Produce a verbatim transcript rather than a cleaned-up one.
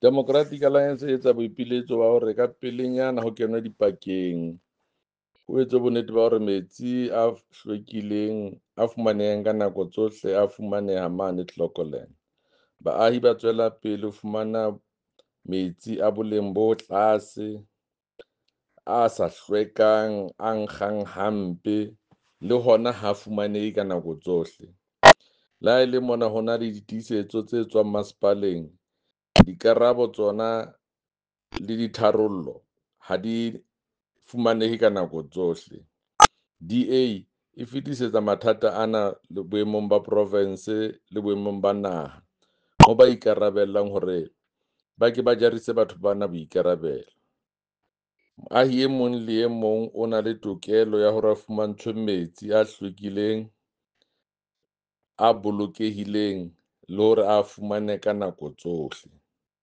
Democratic Alliance e etsa boipiletso ba hore ka pelenyana ho kenwe dipakeng, ho etswe bonnete ba hore metsi a hlwekileng a fumanehang ka nako tsohle a fumaneha mane Clocolan. Baahi ba tswela pele ho fumana metsi a boleng bo tlase, a sa hlwekang, a nkgang hampe le hona ha fumanehe ka nako tsohle. Le ha e le mona ho na le ditiisetso tse tswang masepaleng, dikarabo tsona le ditharollo ha di fumanehe ka nako tsohle. D A e fetisetsa mathata ana boemong ba profinse le boemong ba naha ho ba ikarabellang hore ba ke ba jarise batho bana boikarabelo. Moahi e mong le e mong o na le tokelo ya hore a fumantshwe metsi a hlwekileng, a bolokehileng le hore a fumane ka nako tsohle.